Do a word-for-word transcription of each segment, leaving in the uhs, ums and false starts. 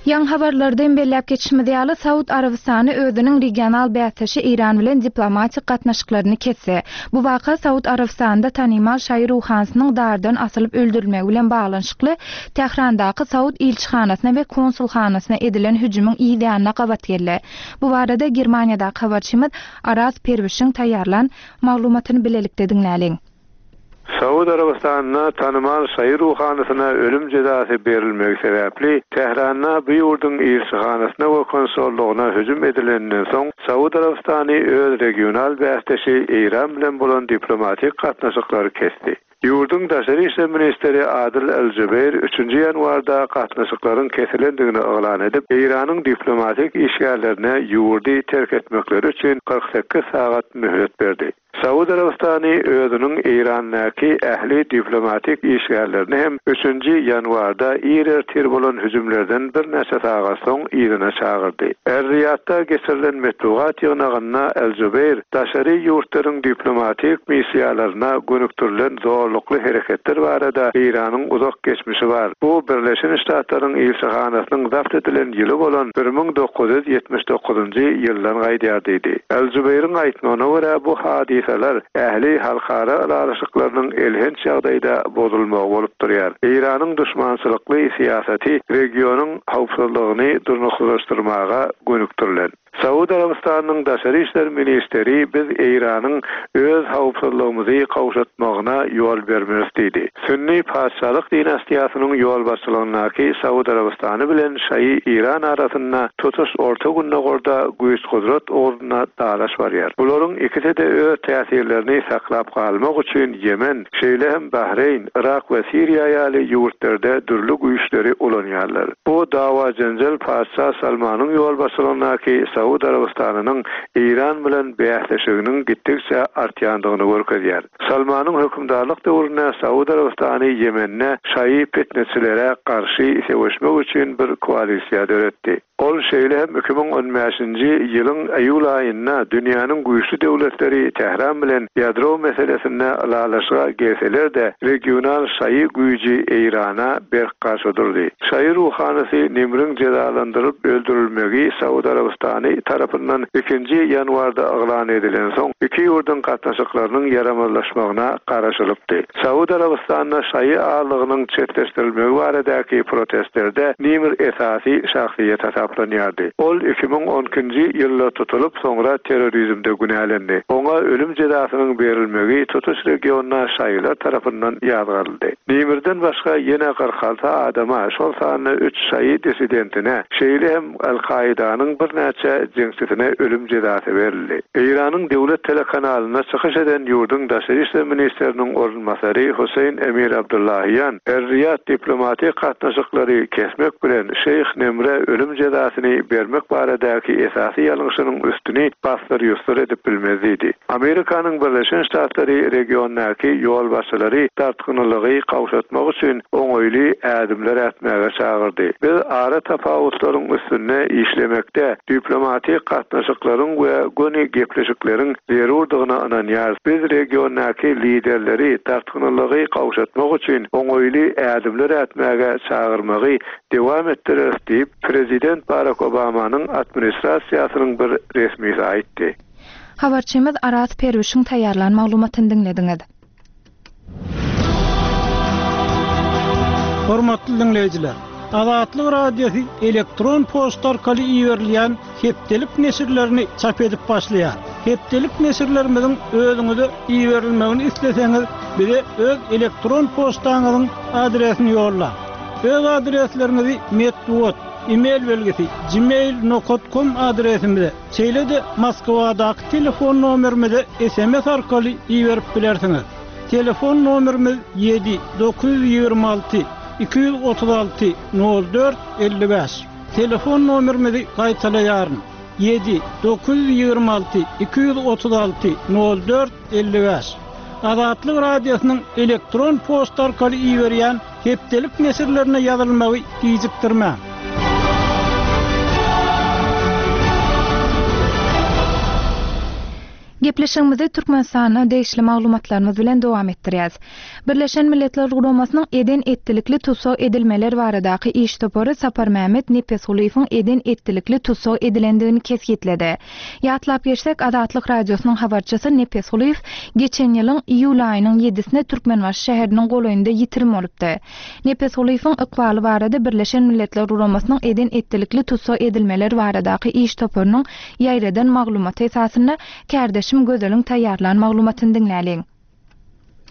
Ýaňy habarlarda hem belläp geçişimiz ýaly, Saud Arabystany özüniň regional bäsdeşi Eýran bilen diplomatik gatnaşyklaryny kesdi. Bu waka Saud Arabystanynda tanymal şaýy ruhanysynyň dardan asylyp öldürilmegi bilen baglanyşykly Tährandaky Saud ilçihanasyna we konsulhanasyna edilen hüjümiň yz ýanyna gabat geldi. Bu barada Germaniýadaky habarçymyz Araz Perwişiň taýýarlan maglumatyny bilelikde diňläliň. Saud Arabystanynda tanymal şaýy ruhanysyna ölüm jezasy berilmegi sebäpli Tähranda bu ýurduň ilçihanasyna we konsollugyna hüjüm edileninden soň Saud Arabystany öz regional bäsdeşi Eýran bilen bolan diplomatik gatnaşyklary kesdi. Ýurduň daşary işler ministri Adil El-Jubeýr üçünji ýanwarda gatnaşyklaryň kesilendigini yglan edip, Eýranyň diplomatik işgärlerine ýurdy terk etmekleri üçin kyrk sekiz sagat möhlet berdi. Saud Arabystany özüniň Eýrandaky ähli diplomatik işgärlerini hem üçünji ýanwarda ir ertir bolan hüjümlerden birnäçe sagat soň yzyna çagyrdy. Er-Riýadda geçirilen metbugat ýygnagynda El-Jubeýr daşary ýurtlaryň diplomatik missiýalaryna gönükdirilen zorlukly hereketler barada Eýranyň uzak geçmişi bar. Bu Birleşen Ştatlaryň ilçihanasynyň zabt edilen ýyly bolan bir müň dokuz ýüz ýetmiş dokuzynjy ýyldan gaýdýar diýdi. El-Jubeýriň aýtmagyna görä bu hadysalar ähli halkara ylalaşyklarynyň elhenç ýagdaýda bozulmagy bolup durýar. Eýranyň duşmançylykly syýasaty regionyň howpsuzlygyny durnuksyzlaşdyrmaga gönükdirilen. Saud Arabystanyň daşary işler ministeri biz Eýranyň öz howpsuzlygymyzy gowşatmagyna ýol bermeris diýdi. Sünni patyşalyk dinastiýasynyň ýolbaşçylygyndaky Saud Arabystany bilen Şaýy Eýran arasynda tutuş Orta Gündogarda güýç-gudrat ugrunda dalaş barýar. Bularyň ikisi de öz täsirlerini saklap galmak üçin Ýemen, şeýle hem Bahreýn, Irak we Siriýa ýaly ýurtlarda dürli güýçleri ulanýarlar. Bu dawa jenjel patyşa Salmanyň ýolbaşçylygyndaky Saud Arabystanynyň Eýran bilen bäsleşiginiň gitdikçe artýandygyny görkezýär. Salmanyň hökümdarlyk döwründe Saud Arabystany Ýemende şaýy fitneçilere garşy söweşmek üçin bir koalisiýa döretdi. Ol şeýle hem iki müň on bäşinji ýylyň iýul aýynda dünýäniň güýçli döwletleri Tähran bilen ýadro meselesinde ylalaşyga gelseler-de regional şaýy güýji Eýrana berk garşy durdy. Şaýy ruhanysy Nimriň jezalandyryp öldürilmegi Saud Arabystany tarapyndan ikinji ýanwarda yglan edilen soň iki ýurduň gatnaşyklarynyň ýaramazlaşmagyna garaşylypdy. Saud Arabystanyna şaýy azlygynyň çetleşdirilmegi baradaky protestlerde Nimr esasy şahsyýet hasaplanýardy. Ol iki müň on ikinji ýylda tutulyp, soňra terrorizmde günälendi. Oňa ölüm jezasynyň berilmegi tutuş regionda şaýylar tarapyndan ýazgaryldy. Nimirden başga ýene kyrk alty adama, şol sanda üç şaýy dissidentine, şeýle hem Al-Kaidanyň birnäçe jeňçisine ölüm jezasy berildi. Eýranyň döwlet telekanalynda çykyş eden ýurduň daşary işler ministriniň orunbasary Hüseýin Emir Abdullahian Er-Riýad diplomatik gatnaşyklary kesmek bilen Şeýh Nemre ölüm jezasyny bermek baradaky esasy ýalňyşynyň üstüni basdyr-ýusdur edip bilmez diýdi. Amerikanyň Birleşen Ştatlary regiondaky ýolbaşçylary dartgynlygy gowşatmak üçin oňaýly ädimler ätmäge çagyrdy. Biz ara tapawutlaryň üstünde işlemekde diplomatik gatnaşyklaryň we göni gepleşikleriň zerurdygyna ynanýarys. Biz regiondaky liderleri dartgynlygy gowşatmak üçin oňaýly ädimler ätmäge çagyrmagy dewam etdireris diýip, Prezident Barack Obamanyň administrasiýasynyň bir resmisi aýtdy. Habarçymyz Araz Perwişiň taýýarlan maglumatyny diňlediňiz. Hormatly dinleýjiler, Azatlyk Radiosy elektron poçta arkaly iberilýän hepdelik neşirlerini çap edip başlaýar. Hepdelik neşirlerimiziň özüňize iberilmegini isleseňiz, bize öz elektron poçtaňyzyň adresini ýollaň. Öz adresleriňizi metbugat, e-mail belgisi gmail nokta com adresimize, şeýle-de Moskwadaky telefon nomerimize S M S arkaly iberip bilersiňiz. Telefon nomerimiz ýedi dokuz ýüz ýigrimi alty iki ýüz otuz alty nol dört elli bäş. Telefon nomerimizi gaýtalaýaryn. Ýedi dokuz ýüz ýigrimi alty iki ýüz otuz alty nol dört elli bäş. Azatlyk Radiosynyň elektron poçta arkaly iberýän hepdelik neşirlerine ýazylmagy gijikdirmäň. Gepleşigimizi Türkmenistana degişli maglumatlarymyz bilen dowam etdirýäs. Birleşen Milletler Guramasynyň eden-etdilikli tussag edilmeler baradaky iş topary Saparmämmet Nepesgulyýewiň eden-etdilikli tussag edilendigini kesgitledi. Ýatlap geçsek, Azatlyk Radiosynyň habarçysy Nepesgulyýew geçen ýylyň iýul aýynyň ýedisinde Türkmenbaşy şäheriniň golaýynda ýitirim bolupdy. Nepesgulyýewiň ykbaly barada Birleşen Milletler Guramasynyň eden-etdilikli tussag edilmeler baradaky iş toparynyň ýaýradan maglumaty esasynda kärdeşim Gözeliň taýýarlan maglumatyny diňläliň.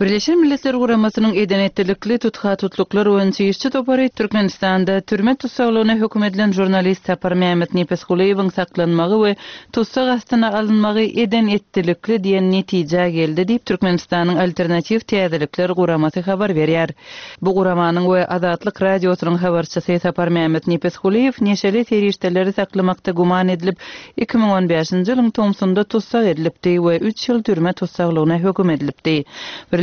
Birleşen Milletler Guramasynyň eden-etdilikli tutha-tutluklar boýunça işçi topary Türkmenistanda türme tussaglygyna höküm edilen žurnalist Saparmämmet Nepesgulyýewiň saklanmagy we tussag astyna alynmagy eden-etdilikli diýen netijä geldi diýip Türkmenistanyň Alternatiw täzelikler guramasy habar berýär. Bu guramanyň we Azatlyk Radiosynyň habarçysy Saparmämmet Nepesgulyýew neşeli serişdeleri saklamakda güman edilip iki müň on bäşinji ýylyň tomsunda tussag edilipdi we üç ýyl türme tussaglygyna höküm edilipdi.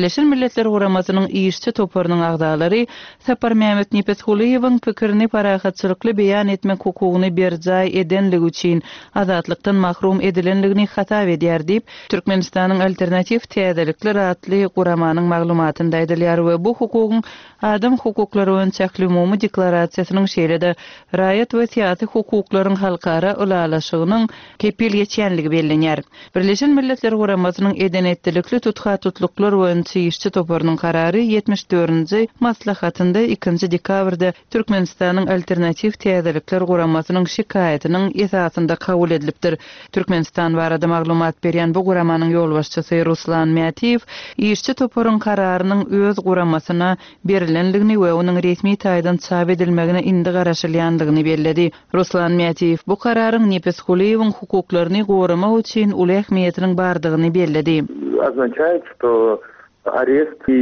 Birleşen Milletler Guramasynyň işçi toparynyň agzalary Saparmämmet Nepesgulyýewiň pikirini parahatçylykly beýan etmek hukugyny berjaý edenligi üçin azatlykdan mahrum edilenligini hasap edýär diýip, Türkmenistanyň Alternatiw täzelikler atly guramanyň maglumatynda aýdylýar we bu hukugyň adam hukuklary boýunça ählumumy deklarasiýasynyň şeýle-de raýat we syýasy hukuklaryň halkara ylalaşygynyň kepil geçýänligi bellenýär. Birleşen Milletler Guramasynyň eden-etdilikli tutha-tutluklar boýunça işçi toparynyň karary ýetmiş dördünji maslahatynda ikinji dekabrda Türkmenistanyň Alternatiw täzelikler guramasynyň şikaýatynyň esasynda kabul edilipdir. Türkmenistan barada maglumat berýän bu guramanyň ýolbaşçysy Ruslan Mätiýew işçi toparyň kararynyň öz guramasyna berilenligini we onuň resmi taýdan çap edilmegine indi garaşylýandygyny belledi. Ruslan Mätiýew bu kararyň Nepesgulyýewiň hukuklaryny goramak üçin uly ähmiýetiniň bardygyny belledi. Označает, что arest и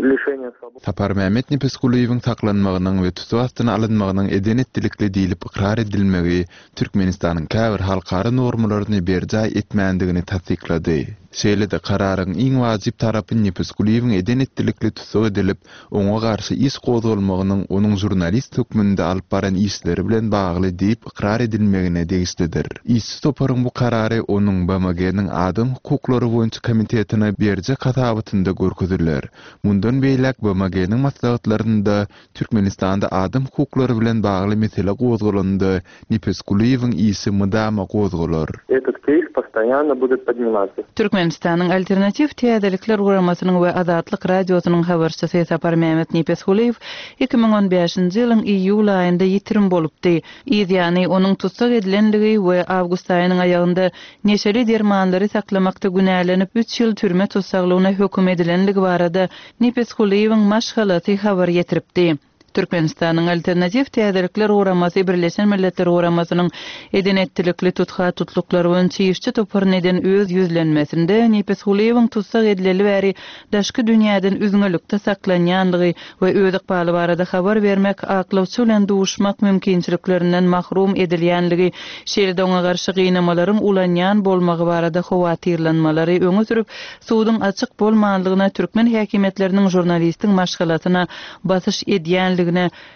лишение свободы. Saparmämmet Nepesgulyýewiň saklanmagynyň we tussag astyna alynmagynyň eden-etdilikli diýlip ykrar edilmegi Türkmenistanyň käbir halkara normalaryny berjaý etmändigini tassyklady. Şeýle-de kararyň iň wajyp tarapy Nepesgulyýewiň eden-etdilikli tussag edilip, oňa garşy iş gozgalmagynyň onuň žurnalist hökmünde alyp baran işleri bilen bagly diýip ykrar edilmegine degişlidir. Işçi toparyň bu karary onuň B M G-niň adam hukuklary boýunça komitetine berjek hasabatynda görkeziler. Mundan beýläk B M G-niň maslahatlarynda Türkmenistanda adam hukuklary bilen bagly mesele gozgalanda Nepesgulyýewiň işi mydama gozgalar. Этот кейс постоянно будет подниматься. Türkmenistanyň Alternatiw täzelikler guramasynyň we Azatlyk Radiosynyň habarçysy Saparmämmet Nepesgulyýew iki müň on bäşinji ýylyň iýul aýynda ýitirim bolupdy. Ýany onuň tussag edilenligi we awgust aýynyň aýagynda neşeli dermanlary saklamakda günälenip üç ýyl türme tussaglygyna höküm edilenligi barada Nepesgulyýewiň maşgalasy habar ýetiripdi. Türkmenistanyň Alternatiw täzelikler guramasy Birleşen Milletler Guramasynyň eden-etdilikli tutha-tutluklar boýunça işçi toparyny eden öz ýüzlenmesinde Nepesgulyýewiň tussag edileli bäri daşky dünýäden üzňelikde saklanýanlygy we öz ykbaly barada habar bermek, aklawçy bilen duşmak mümkinçiliklerinden mahrum edilýänligi, şeýle-de oňa garşy gynamalaryň ulanýan bolmagy barada howatyrlanmalary öňe sürüp, suduň açyk bolmanlygyna türkmen häkimiýetleriniň žurnalistiň maşgalasyna basyş edýänligine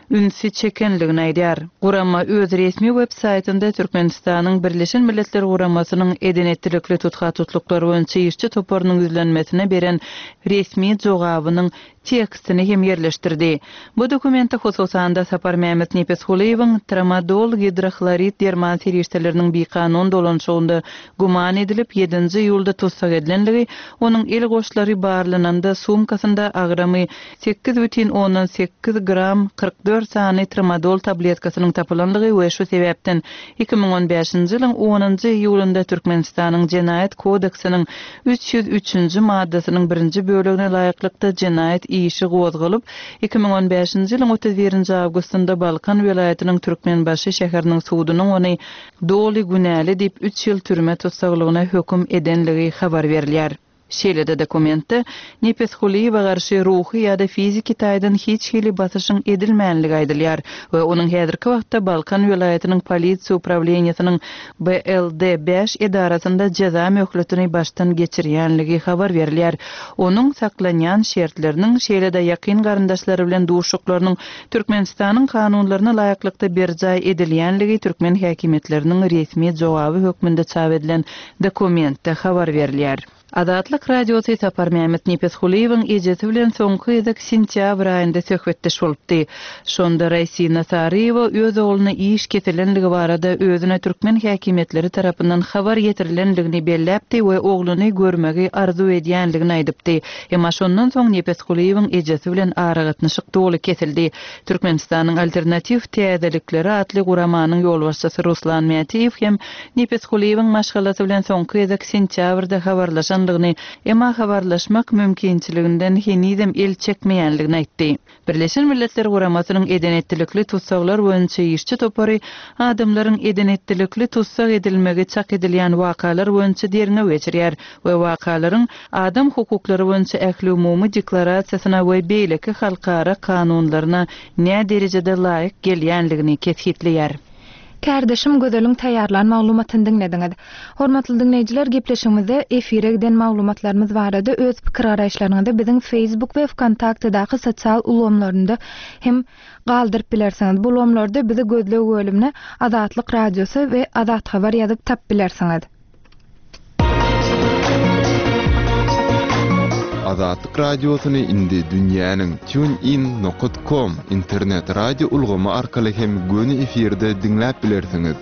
ünsi çekenligini aýdýar. Gurama öz resmi web saýtynda Türkmenistanyň Birleşen Milletler Guramasynyň eden-etdilikli tutha-tutluklar boýunça işçi toparynyň ýüzlenmesine beren resmi jogabynyň tekstini hem ýerleşdirdi. Bu dokumentde hususan-da Saparmämmet Nepesgulyýewiň tramadol gidrohlorid derman serişdeleriniň bikanun dolanşygynda güman edilip ýedinji iýulda tussag edilenligi, onuň el goşlary barlananda sumkasynda agramy sekiz bütin ondan sekiz gram kyrk dört sany tramadol tabletkasynyň tapylanlygy we şu sebäpden iki müň on bäşinji ýylyň onunjy iýulynda Türkmenistanyň Jenaýat kodeksiniň üç ýüz üçünji maddasynyň birinji bölegine laýyklykda jenaýat işi gozgalyp, iki müň on bäşinji ýylyň otuz birinji awgustynda Balkan welaýatynyň Türkmenbaşy şäheriniň sudunyň ony doly günäli diýip üç ýyl türme tussaglygyna höküm edenligi habar berilýär. Şeýle-de dokumentde Nepesgulyýewe garşy ruhy ýa-da fiziki taýdan hiç hili basyşyň edilmänligi aýdylýar we onuň häzirki wagtda Balkan welaýatynyň polisiýa uprawleniýesiniň BLD bäş edarasynda jeza möhletini başdan geçirýänligi habar berilýär. Onuň saklanýan şertleriniň, şeýle-de ýakyn garyndaşlary bilen duşuşyklarynyň Türkmenistanyň kanunlaryna laýyklykda berjaý edilýänligi türkmen häkimiýetleriniň resmi jogaby hökmünde çap edilen dokumentde habar berilýär. Azatlyk Radiosy Saparmämmet Nepesgulyýewiň ejesi bilen soňky gezek sentýabr aýynda söhbetdeş bolupdy. Şonda Raýsina Saryýewa öz ogluna iş kesilenligi barada özüne türkmen häkimiýetleri tarapyndan habar ýetirilenligini belläpdi we ogluny görmegi arzuw edýänligini aýdypdy. Emma şondan soň Nepesgulyýewiň ejesi bilen aragatnaşyk doly kesildi. Türkmenistanyň Alternatiw täzelikleri atly guramanyň ýolbaşçysy Ruslan Mätiýew hem Nepesgulyýewiň maşgalasy bilen soňky gezek sentýabrda habarlaşanlygyny, emma habarlaşmak mümkinçiliginden henizem el çekmeýänligini aýtdy. Birleşen Milletler Guramasynyň eden-etdilikli tussaglar boýunça işçi topary adamlaryň eden-etdilikli tussag edilmegi çak edilýän wakalar boýunça derňew geçirýär we wakalaryň adam hukuklary boýunça ähliumumy deklarasiýasyna we beýleki halkara kanunlaryna näderejede laýyk gelýänligini kesgitleýär. Kärdeşim Gözeliň taýýarlan maglumatyny diňlediňiz. Hormatly diňleýjiler, gepleşigimizde efire giden maglumatlarymyz barada öz pikir garaýyşlaryňyzy biziň Facebook we VKontaktedaky sosial ulgamlarynda hem galdyryp bilersiňiz. Bu ulgamlarda bizi gözleg bölümine Azatlyk Radiosy we Azat Habar ýazyp tapyp bilersiňiz. Azatlyk Radiosyny indi dünýäniň tunein nokta com internet radio ulgamy arkaly hem göni efirde diňläp bilersiňiz.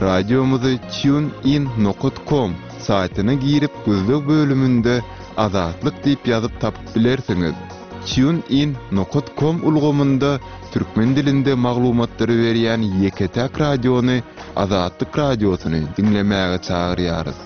Radiomyzy tunein nokta com saýtyna girip gözleg bölüminde Azatlyk diýip ýazyp tapyp bilersiňiz. Tunein nokta com ulgamynda türkmen dilinde maglumatlary berýän ýeke-täk radiony Azatlyk Radiosyny diňlemäge çagyrýarys.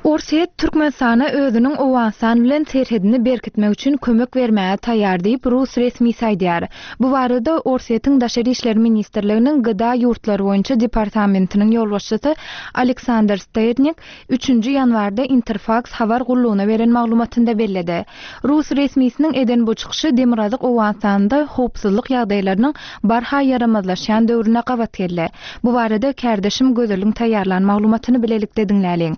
Orsýet Türkmenistana özüniň Owganystan bilen serhedini berkitmek üçin kömek bermäge taýýar diýip rus resmisi aýdýar. Bu barada Orsýetiň Daşary işler ministrliginiň G D A ýurtlary boýunça departamentiniň ýolbaşçysy Aleksandr Sternik üçünji ýanwarda Interfax habar gullugyna beren maglumatynda belledi. Rus resmisiniň eden bu çykyşy Demirgazyk Owganystanda howpsuzlyk ýagdaýlarynyň barha ýaramazlaşýan döwrüne gabat geldi. Bu barada kärdeşim Gözeliň taýýarlan maglumatyny bilelikde diňläliň.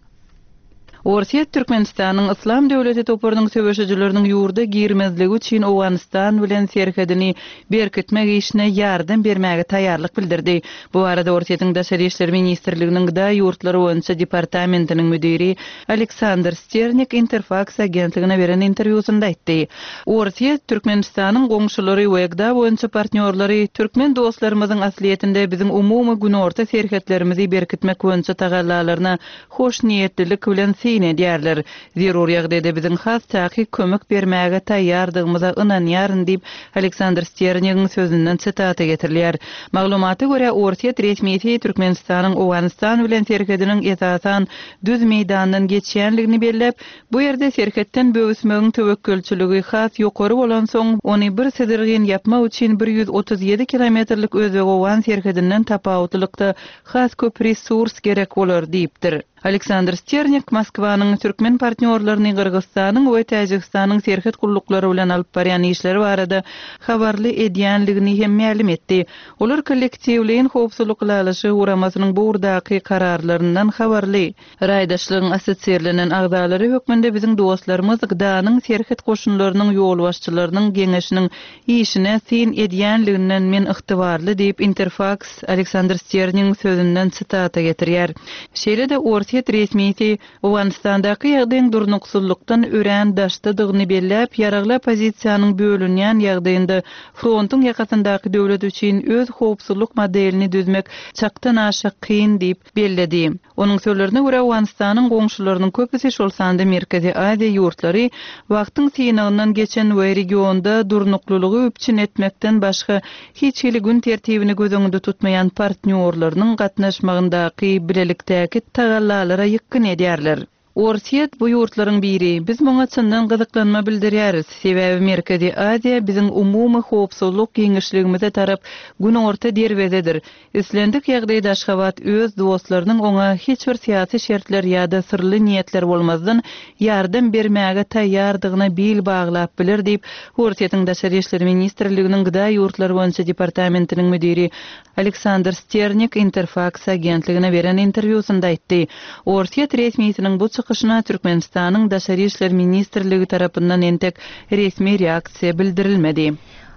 Orsýet Türkmenistanyň Yslam döwleti toparynyň söweşijileriniň ýurda girmezligi üçin Owganystan bilen serhedini berkitmek işine ýardam bermäge taýýarlyk bildirdi. Bu barada Orsýetiň Daşary işler ministrliginiň G D A ýurtlary boýunça departamentiniň müdiri Aleksandr Sternik Interfax agentligine beren interwýusynda aýtdy. Orsýet Türkmenistanyň goňşulary we G D A boýunça partnýorlary türkmen dostlarymyzyň aslyýetinde biziň umumy günorta serhetlerimizi berkitmek boýunça tagallalaryna hoşniýetlilik bilen syn edýärler. Zerur ýagdaýda biziň has takyk kömek bermäge taýýardygymyza ynanýaryn diýip Aleksandr Sternigiň sözünden sitata getirilýär. Maglumata görä Orsýet resmisi Türkmenistanyň Owganystan bilen serhediniň esasan düz meýdandan geçýänligini belläp, bu ýerde serhetden böwüsmegiň töwekgelçiligi has ýokary bolan soň ony bir syzyrgyn ýapmak üçin bir ýüz otuz ýedi kilometrlik Özbek-Owgan serhedinden tapawutlylykda has köp resurs gerek bolar diýipdir. Aleksandr Sternik Moskwanyň türkmen partnýorlaryny Gyrgyzystanyň we Täjigistanyň serhet gulluklary bilen alyp barýan işleri barada habarly edýänligini hem mälim etdi. Olar kollektiwleýin howpsuzlyk ylalaşygy guramasynyň bu ugurdaky kararlaryndan habarly. Raýdaşlygyň assosirlenen agzalary hökmünde biziň dostlarymyz G D A-nyň serhet goşunlarynyň ýolbaşçylarynyň geňeşiniň işine syn edýänliginden men ygtybarly diýip Interfax Aleksandr Sternigiň sözünden sitata getirýär. Şeýle-de Orsýet resmisi Owganystandaky ýagdaýyň durnuksyzlykdan örän daşdadygyny belläp, ýaragly oppozisiýanyň bölünýän ýagdaýynda frontuň ýakasyndaky döwlet üçin öz howpsuzlyk modelini düzmek çakdan aşa kyn diýip belledi. Onuň sözlerine görä Owganystanyň goňşularynyň köpüsi şol sanda Merkezi Aziýa ýurtlary wagtyň synagyndan geçen we regionda durnuklylygy üpjün etmekden başga hiç hili gün tertibini göz öňünde tutmaýan partnýorlarynyň gatnaşmagyndaky bilelikdäki tagallalara ýykgyn edýärler. Orsýet bu ýurtlaryň biri. Biz muňa çyndan gyzyklanma bildirýäris. Sebäbi Merkezi Aziýa biziň umumy howpsuzlyk giňişligimize tarap günorta derwezedir. Islendik ýagdaýda Aşgabat öz dostlarynyň oňa hiç bir syýasy şertler ýa-da syrly niýetler bolmazdan ýardam bermäge taýýardygyna bil baglap biler diýip, Orsýetiň Daşary işler ministrliginiň Gda ýurtlary boýunça departamentiniň müdiri Aleksandr Sternik Interfax agentligine beren interwýusynda aýtdy. Orsýet resmisiniň bu çykyşyna Türkmenistanyň Daşary işler ministrligi tarapyndan entek resmi reaksiýa bildirilmedi.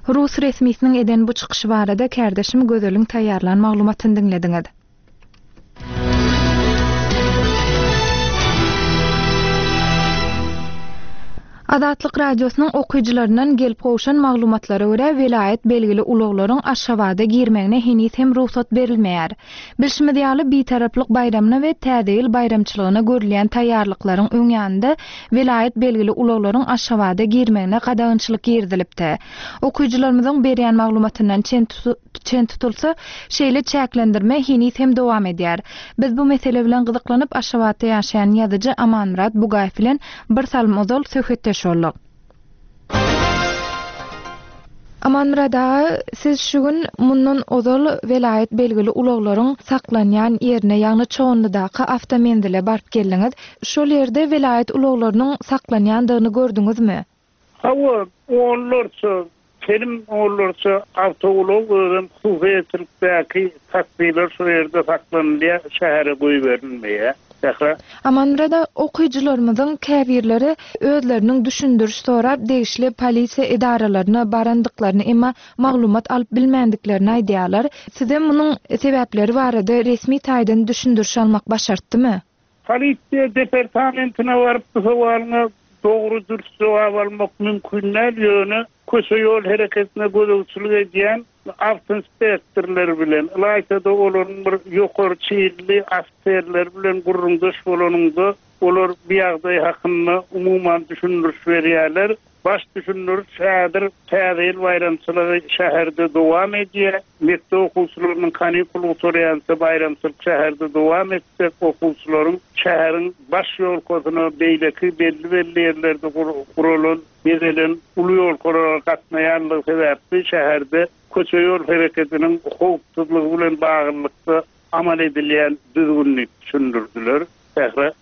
Rus resmisiniň eden bu çykyşy barada kärdeşim Gözeliň taýýarlan maglumatyny diňlediňiz. Azatlyk Radiosynyň okyjylaryndan gelip gowşan maglumatlara görä welaýat belgili ulaglaryň Aşgabada girmegine heniz hem rugsat berilmeýär. Bilşimiz ýaly Bitaraplyk baýramyna we Täze ýyl baýramçylygyna görülýän taýýarlyklaryň öň ýanynda welaýat belgili ulaglaryň Aşgabada girmegine gadagançylyk girizilipdi. Okyjylarymyzyň berýän maglumatyndan çen çen tutulsa, şeýle çäklendirme heniz hem dowam edýär. Biz bu mesele bilen gyzyklanyp Aşgabatda ýaşaýan ýazyjy Amanmyrat Bugaýew bilen bir salym ozal söhbetdeş bolduk. Amanmyrat aga, siz şu gün mundan ozal welaýat belgili ulaglaryň saklanýan ýerine, ýagny Çoganlydaky awtomenzile baryp geldiňiz. Şol ýerde welaýat ulaglarynyň saklanýandygyny gördüňizmi? Hawa, onlarça telim onlarça awtoulag özem hususyýetçilikdäki taksiler şu ýerde saklanylýar, şähere goýberilmeýär. Sähra. Amanmyrat aga, okyjylarymyzyň käbirleri özleriniň düşündiriş sorap degişli polisiýa edaralaryna barandyklaryny, emma maglumat alyp bilmändiklerini aýdýarlar. Size munuň sebäpleri barada resmi taýdan düşündiriş almak başartdymy? Polisiýa departamentine baryp bu sowalyňa dogry dürs jogap almak mümkin däl, ýöne köçe ýol hereketine gözegçilik edýän awtoinspektorlar bilen, ylaýta-da olaryň bir ýokary çeýilli ofiserler bilen gürrüňdeş bolanynda olar bu ýagdaý hakynda umuman düşündiriş berýärler. Baş düşündiriş häzir Täze ýyl baýramçylygy şäherde dowam edýär. Mekdep okuwçylarynyň kanikul gutarýança baýramçylyk şäherde dowam etjek, okuwçylaryň şäheriň baş ýolkasyna beýleki belli-belli ýerlerde guralan, bezelen uly ýolkalara gatnaýanlygy sebäpli şäherde köçe ýol hereketiniň howpsuzlygy bilen baglylykda amal edilýän düzgünini düşündirdiler. Sähra.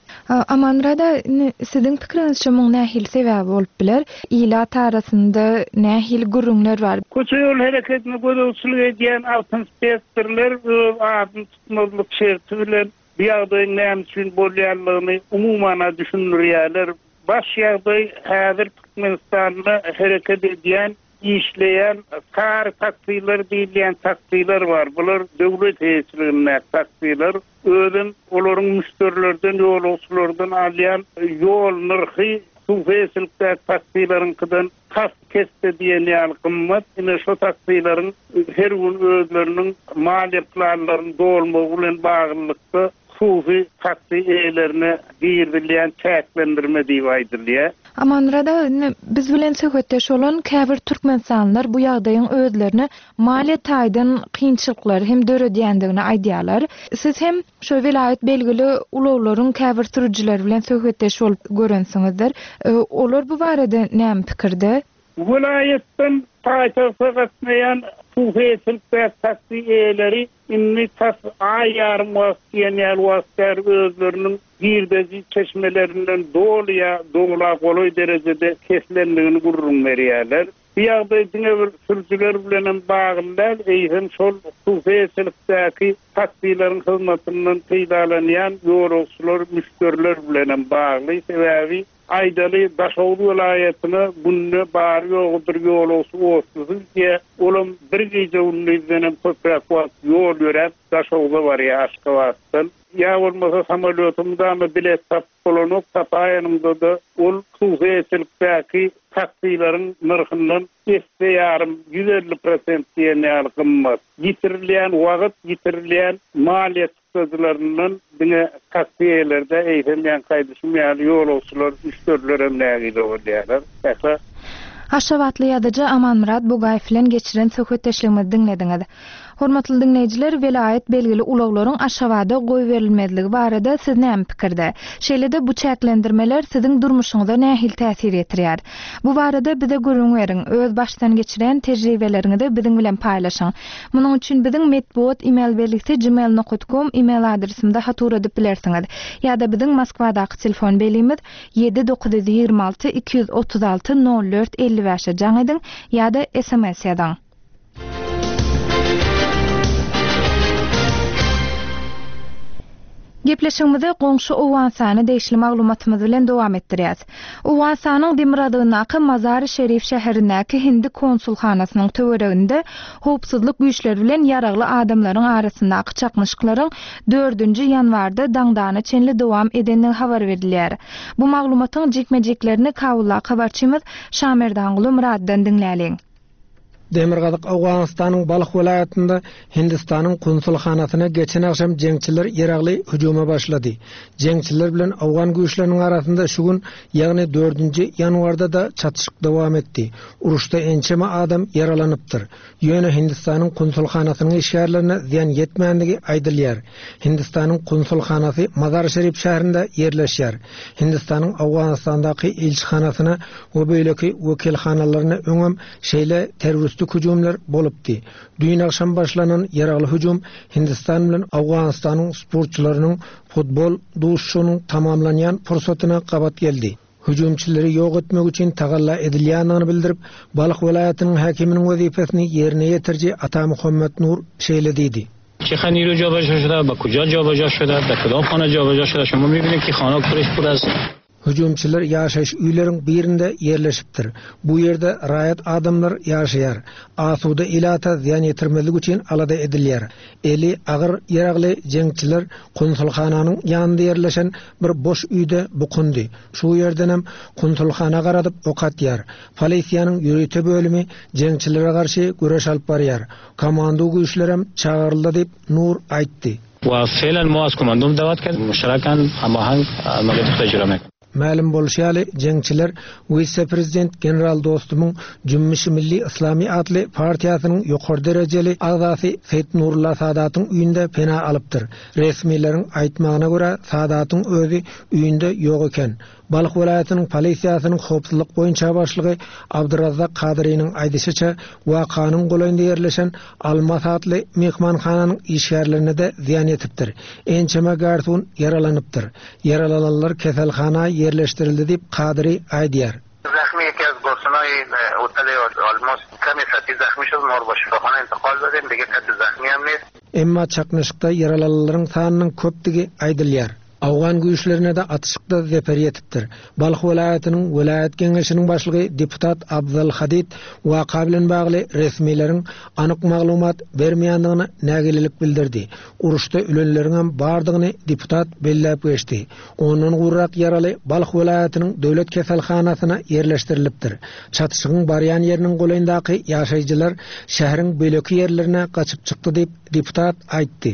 Amanmyrat aga, indi siziň pikiriňizçe muň nähili sebäbi bolup biler? Ilat arasynda nähili gürrüňler bar? Köçe ýol hereketine gözegçilik edýän awtoinspektorlar öz adyny tutmazlyk şerti bilen bu ýagdaýyň näme üçin bolýanlygyny umuman düşündirýärler. Baş ýagdaý häzir Türkmenistanda hereket edýän, işleýän sary taksiler diýilýän taksiler bar. Bular döwlet eýeçiligindäki taksiler. Özüm olaryň müşderilerden, ýolagçylardan alýan ýol nyrhy hususyýetçilikdäki taksileriňkiden tas kesdi diýen ýaly gymmat. Ine şu taksileriň her gün özleriniň maliýe planlaryny dolmagy bilen baglylykda hususy taksi eýelerine girizilýän çäklendirme diýip aýdylýar. Amanmyrat aga, indi biz bilen söhbetdeş bolan käbir türkmenistanlylar bu ýagdaýyň özlerine maliýe taýdan kynçylyklary hem döredýändigini aýdýarlar. Siz hem şu welaýat belgili ulaglaryň käbir sürüjileri bilen söhbetdeş bolup görensiňizdir. E, olar bu barada näme pikirde? Welaýatdan paýtagta gatnaýan hususyýetçilikdäki taksi eýeleri indi tas aý ýarym wagt diýen ýaly wagt bäri özleriniň girdeji çeşmelerinden doly ýa dola golaý derejede kesilendigini gürrüň berýärler. Bu ýagdaý diňe bir sürüjiler bilen hem bagly däl, eýsem şol hususyýetçilikdäki taksileriň hyzmatyndan peýdalanýan ýolagçylar, müşderiler bilen hem bagly. Sebäbi aýdaly Daşoguz welaýatyna günde bary ýogy bir ýolagçy otlusy diýe, olam bir gije gündizden hem köpräk wagt ýol ýöräp Daşoguza barýar Aşgabatdan. Ýa bolmasa samolýoty mudama bilet tapyp bolanok, tapaýanynda-da ol hususyýetçilikdäki taksileriň nyrhyndan esse ýarym ýüz elli prosent diýen ýaly gymmat. Ýitirilýän wagt, ýitirilýän maliýe çykdajylaryndan diňe taksi eýelerde eýsem ýan gaýdyşym ýaly ýolagçylar, müşderiler hem nägile bolýarlar. Sähra. Aşgabatly ýazyjy Amanmyrat Bugaýew bilen geçiren söhbetdeşligimizi diňlediňiz. Hormatly diňleýjiler, welaýat belgili ulaglaryň Aşgabada goýberilmezligi barada siz näme pikirde? Şeýle-de bu çäklendirmeler siziň durmuşyňyza nähili täsir ýetirýär? Bu barada bize gürrüň beriň, öz başdan geçiren tejribeleriňizi biziň bilen paýlaşyň. Munuň üçin biziň metbugat email belgisi gmail nokta com email adresimizde hat ugradyp bilersiňiz. Ýa-da biziň Moskwadaky telefon belgimiz ýedi dokuz ýüz ýigrimi alty iki ýüz otuz alty nol dört elli bäşe jaň ediň ýa-da S M S ýazyň. Gepleşigimizi goňşy Owganystana degişli maglumatymyz bilen dowam etdirýäs. Owganystanyň demirgazygyndaky Mazar-i Şerif şäherindäki Hindi konsulhanasynyň töwereginde howpsuzlyk güýçleri bilen ýaragly adamlaryň arasyndaky çaknyşyklaryň dördünji ýanwarda daňdana çenli dowam edendigi habar berilýär. Bu maglumatyň jikme-jiklerini Kabuldaky habarçymyz Şamerdanguly Muraddan diňläliň. Demirgazyk Owganystanyň Balh welaýatynda Hindistanyň konsulhanasyna geçen agşam jeňçiler ýaragly hüjüme başlady. Jeňçiler bilen Owgan güýçleriniň arasynda şu gün, ýagny dördünji ýanwarda da çatyşyk dowam etdi. Uruşda ençeme adam ýaralanypdyr. Ýöne Hindistanyň konsulhanasynyň işgärlerine zyýan ýetmändigi aýdylýar. Hindistanyň konsulhanasy Mazar-Şerif şäherinde ýerleşýär. Hindistanyň Owganystandaky ilçihanasyna we beýleki wekilhanalaryna öňem şeýle terroristik hüjümler bolupdy. Düýn agşam başlanan ýaragly hüjüm Hindistan bilen Owganystanyň sportçylarynyň futbol duşuşygynyň tamamlanýan pursatyna gabat geldi. Hüjümçileri ýok etmek üçin tagalla edilýändigini bildirip, Balh welaýatynyň häkiminiň wezipesini ýerine ýetiriji Ata Muhammed Nur şeýle diýdi. Çe نیرو جابجا شده، با کجا جابجا شده، در کدام خانه جابجا شده، شما می‌بینید که خانه پرش پر از Hüjümçiler ýaşaýyş öýleriň birinde ýerleşipdir. Bu ýerde raýat adamlar ýaşaýar. Asuda ilata zyýan ýetirmezlik üçin alada edilýär. Eli agyr ýaragly jeňçiler konsulhananyň ýanynda ýerleşen bir boş öýde bukundy. Şu ýerdenem konsulhana garadyp ok atýar. Polisiýanyň ýörite bölümi jeňçilere garşy göreş alyp barýar. Komando güýçlerem çagyryldy diýip Nur aýtdy. Wa fe'lan mo az komandom dawat kard, muştarakan hamahang amaliyat ijro etmek. Mälim bolşy ýaly jeňçiler wise-prezident General Dostumyň Jümmüşi Milli Islami atly partiýasynyň ýokary derejeli agzasy Seýit Nurullah Sadatyň öýünde pena alypdyr. Resmileriň aýtmagyna görä Sadatyň özi öýünde ýok eken. Balh welaýatynyň polisiýasynyň howpsuzlyk boýunça başlygy Abdyrazzak Kadyrynyň aýdyşyça wakanyň golaýynda ýerleşen Almas atly mehmanhananyň işgärlerine de zyýan ýetipdir. Ençeme garson ýaralanypdyr. Ýaralananlar keselhana ýerleşdirildi diýip Kadyry aýdýar. زخمی یکی از گارسونای هتل آلماس کمی سطحی زخمی شد، ما رو با شفاخانه انتقال دادیم، دیگه کسی زخمی هم نیست. Emma çaknyşykda ýaralananlaryň sanynyň köpdügi aýdylýar. Awgan güýçlerine de atyşykda zeper ýetipdir. Balh welaýatynyň welaýat geňeşiniň başlygy deputat Abdal Hadid waka bilen bagly resmileriň anyk maglumat bermeýändigini nägilelik bildirdi. Uruşda ölenleriň hem bardygyny deputat belläp geçdi. Ondan gurrak ýaraly Balh welaýatynyň döwlet keselhanasyna ýerleşdirilipdir. Çatyşygyň barýan ýeriniň golaýyndaky ýaşaýjylar şäheriň beýleki ýerlerine gaçyp çykdy diýip deputat aýtdy.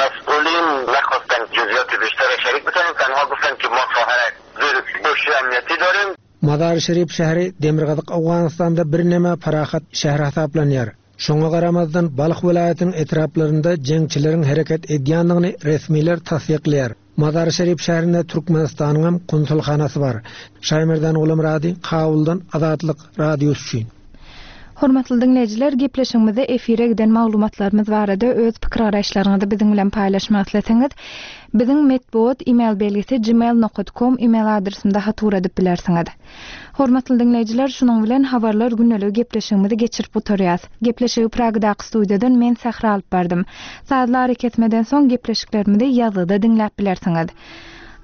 مسئولین نخواستن جزئیات بیشتر شریک بکنن، تنها گفتن که ما خواهر زیر امنیتی داریم. Mazar-i Şerif şäheri Demirgazyk Owganystanda birneme parahat şäher hasaplanýar. Şoňa garamazdan Balh welaýatynyň etraplarynda jeňçileriň hereket edýändigini resmiler tassyklaýar. Mazar-i Şerif şäherinde Türkmenistanyň hem konsulhanasy bar. Şaýmerdan Gulamrady, Kabuldan Azatlyk radiosy üçin. Hormatly diňleýjiler, gepleşigimizde efire giden maglumatlarymyz barada öz pikir garaýyşlaryňyzy biziň bilen paýlaşmak isleseňiz, biziň metbugat email belgisi gmail nokta com email adresinde hat ugradyp bilersiňiz. Hormatly diňleýjiler, şunuň bilen habarlar gündelik gepleşigimizi geçirip oturýas. Gepleşigi Pragdaky studiýadan men Sahra alyp bardym. Sazlar kesmeden soň gepleşiklerimizi ýazgyda diňläp bilersiňiz.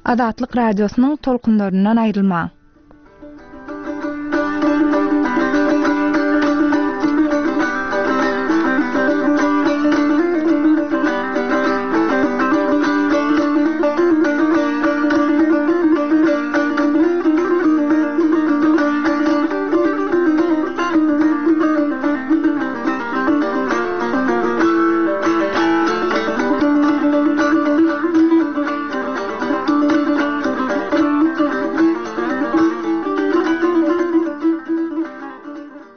Azatlyk radiosynyň tolkunlaryndan aýrylmaň.